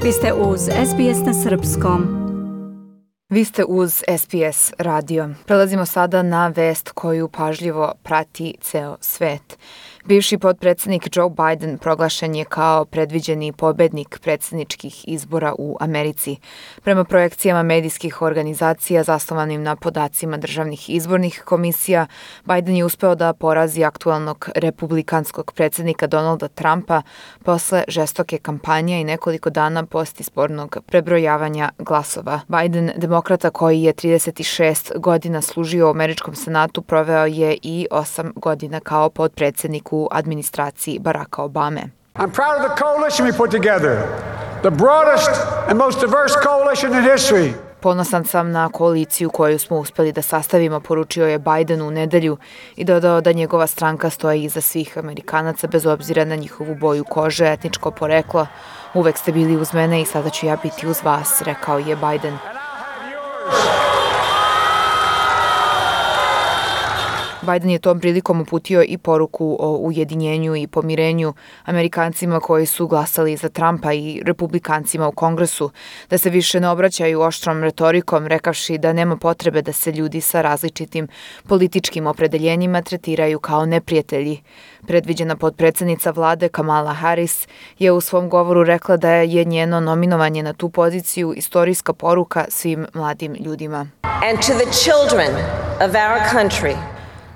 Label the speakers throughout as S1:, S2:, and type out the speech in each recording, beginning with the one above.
S1: Vi ste uz SBS na Srpskom.
S2: Vi ste uz SBS radio. Prelazimo sada na vest koju pažljivo prati ceo svet. Bivši potpredsjednik Joe Biden proglašen je kao predviđeni pobednik predsjedničkih izbora u Americi. Prema projekcijama medijskih organizacija zasnovanim na podacima državnih izbornih komisija, Biden je uspeo da porazi aktualnog republikanskog predsjednika Donalda Trumpa posle žestoke kampanje i nekoliko dana postizbornog prebrojavanja glasova. Biden, demokrata koji je 36 godina služio u američkom senatu, proveo je i 8 godina kao potpredsjednik u administraciji Baracka Obame.
S3: I'm proud of the coalition we put together, the broadest and most diverse coalition in history.
S2: Ponosan sam na koaliciju koju smo uspeli da sastavimo, poručio je Biden u nedelju i dodao da njegova stranka stoji iza svih Amerikanaca bez obzira na njihovu boju kože, etničko poreklo. Uvek ste bili uz mene i sada ću ja biti uz vas, rekao je Biden. Biden je tom prilikom uputio i poruku o ujedinjenju i pomirenju Amerikancima koji su glasali za Trumpa i republikancima u Kongresu, da se više ne obraćaju oštrom retorikom, rekavši da nema potrebe da se ljudi sa različitim političkim opredeljenjima tretiraju kao neprijatelji. Predviđena potpredsjednica vlade Kamala Harris je u svom govoru rekla da je njeno nominovanje na tu poziciju istorijska poruka svim mladim ljudima.
S4: And to the children of our country.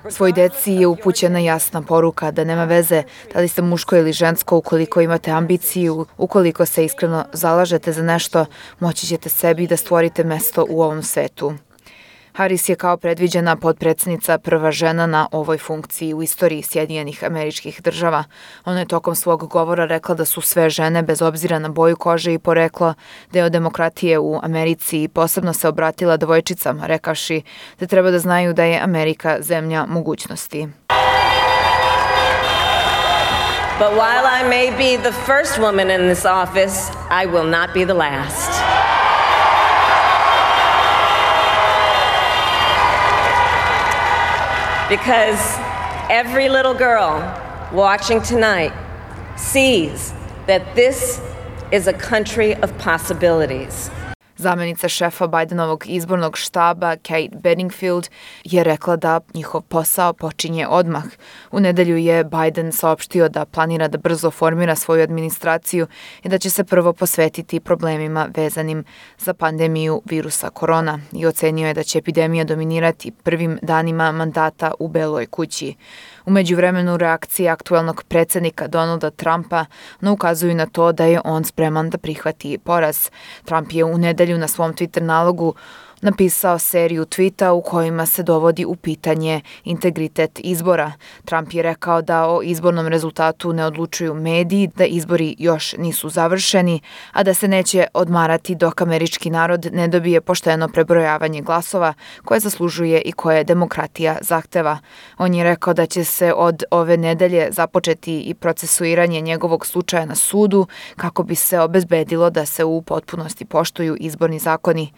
S2: Svoj deci je upućena jasna poruka da nema veze da li ste muško ili žensko, ukoliko imate ambiciju, ukoliko se iskreno zalažete za nešto, moći ćete sebi da stvorite mesto u ovom svetu. Harris je kao predviđena potpredsjednica prva žena na ovoj funkciji u istoriji Sjedinjenih Američkih Država. Ona je tokom svog govora rekla da su sve žene, bez obzira na boju kože i poreklo, deo demokratije u Americi i posebno se obratila devojčicama, rekavši da treba da znaju da je Amerika zemlja mogućnosti.
S4: But while I may be the first woman in this office, I will not be the last. Because every little girl watching tonight sees that this is a country of possibilities.
S2: Zamenica šefa Bidenovog izbornog štaba Kate Bedingfield je rekla da njihov posao počinje odmah. U nedelju je Biden saopštio da planira da brzo formira svoju administraciju i da će se prvo posvetiti problemima vezanim za pandemiju virusa korona i ocenio je da će epidemija dominirati prvim danima mandata u Beloj kući. U međuvremenu reakcije aktualnog predsjednika Donalda Trumpa ne ukazuju na to da je on spreman da prihvati poraz. Trump je u nedelju na svom Twitter nalogu napisao seriju tvita u kojima se dovodi u pitanje integritet izbora. Trump je rekao da o izbornom rezultatu ne odlučuju mediji, da izbori još nisu završeni, a da se neće odmarati dok američki narod ne dobije pošteno prebrojavanje glasova koje zaslužuje i koje demokratija zahteva. On je rekao da će se od ove nedelje započeti i procesuiranje njegovog slučaja na sudu kako bi se obezbedilo da se u potpunosti poštuju izborni zakoni.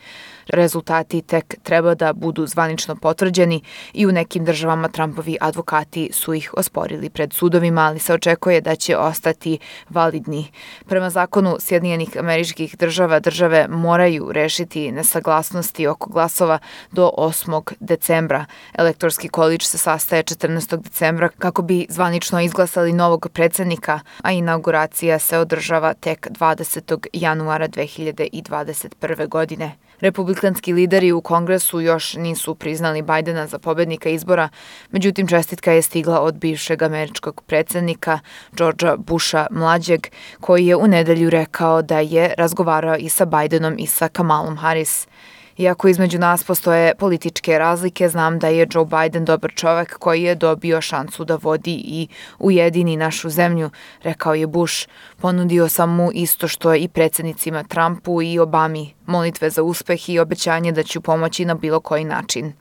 S2: Rezultati tek treba da budu zvanično potvrđeni i u nekim državama Trumpovi advokati su ih osporili pred sudovima, ali se očekuje da će ostati validni. Prema zakonu Sjedinjenih Američkih Država, države moraju rešiti nesaglasnosti oko glasova do 8. decembra. Elektorski količ se sastaje 14. decembra kako bi zvanično izglasali novog predsjednika, a inauguracija se održava tek 20. januara 2021. godine. Republikanski lideri u Kongresu još nisu priznali Bidena za pobednika izbora, međutim čestitka je stigla od bivšeg američkog predsjednika Georgea Busha mlađeg, koji je u nedelju rekao da je razgovarao i sa Bidenom i sa Kamalom Harris. Iako između nas postoje političke razlike, znam da je Joe Biden dobar čovek koji je dobio šansu da vodi i ujedini našu zemlju, rekao je Bush. Ponudio sam mu isto što i predsjednicima Trumpu i Obami, molitve za uspeh i obećanje da ću pomoći na bilo koji način.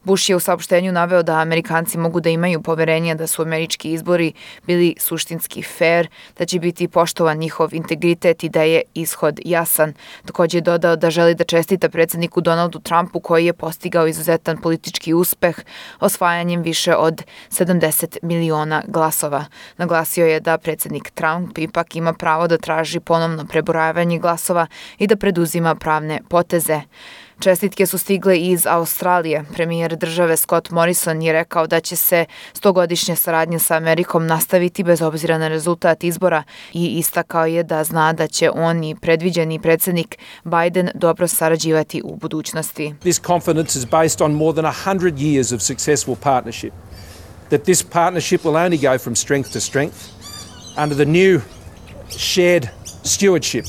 S2: Bush je u saopštenju naveo da Amerikanci mogu da imaju poverenje da su američki izbori bili suštinski fair, da će biti poštovan njihov integritet i da je ishod jasan. Također je dodao da želi da čestita predsjedniku Donaldu Trumpu koji je postigao izuzetan politički uspeh osvajanjem više od 70 miliona glasova. Naglasio je da predsjednik Trump ipak ima pravo da traži ponovno prebrojavanje glasova i da preduzima pravne poteze. Čestitke su stigle iz Australije. Premijer države Scott Morrison je rekao da će se 100-godišnja saradnja sa Amerikom nastaviti bez obzira na rezultat izbora i istakao je da zna da će on i predviđeni predsjednik Biden dobro sarađivati u budućnosti.
S5: This confidence is based on more than 100 years of successful partnership. That this partnership will only go from strength to strength under the new shared stewardship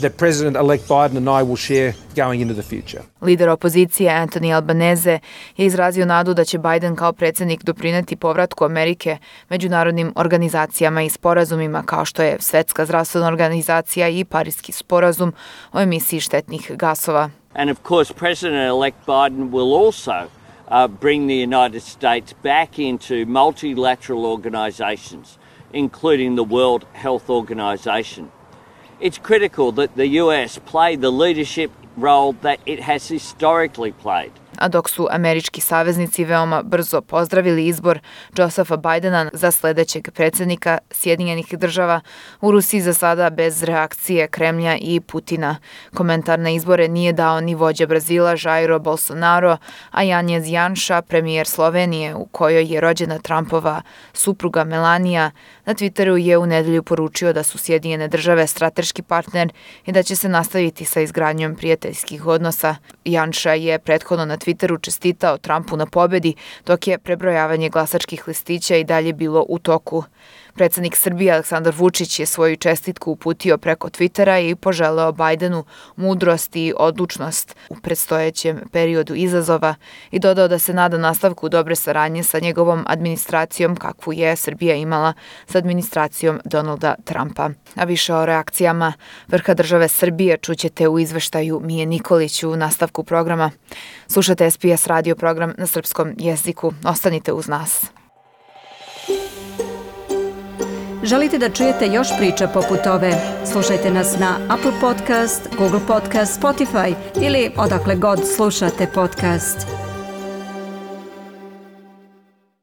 S5: that President-elect Biden and I will share going into the future.
S2: Lider opozicije Anthony Albanese je izrazio nadu da će Biden kao predsjednik doprineti povratku Amerike međunarodnim organizacijama i sporazumima kao što je Svetska zdravstvena organizacija i Pariski sporazum o emisiji štetnih gasova.
S6: And of course, President-elect Biden will also bring the United States back into multilateral organizations, including the World Health Organization. It's critical that the US play the leadership role that it has historically played.
S2: A dok su američki saveznici veoma brzo pozdravili izbor Josepha Bidena za sljedećeg predsjednika Sjedinjenih država, u Rusiji za sada bez reakcije Kremlja i Putina. Komentar na izbore nije dao ni vođa Brazila Jair Bolsonaro, a Janez Janša, premijer Slovenije, u kojoj je rođena Trumpova supruga Melania, na Twitteru je u nedelju poručio da su Sjedinjene države strateški partner i da će se nastaviti sa izgradnjom prijateljskih odnosa. Janša je prethodno na Twitteru čestitao Trumpu na pobedi, dok je prebrojavanje glasačkih listića i dalje bilo u toku. Predsjednik Srbije Aleksandar Vučić je svoju čestitku uputio preko Twittera i poželeo Bidenu mudrost i odlučnost u predstojećem periodu izazova i dodao da se nada nastavku dobre saradnje sa njegovom administracijom kakvu je Srbija imala sa administracijom Donalda Trumpa. A više o reakcijama vrha države Srbije čućete u izveštaju Mije Nikolić u nastavku programa. Slušate SBS radio program na srpskom jeziku. Ostanite uz nas.
S1: Želite da čujete još priča poput ove? Slušajte nas na Apple Podcast, Google Podcast, Spotify ili odakle god slušate podcast.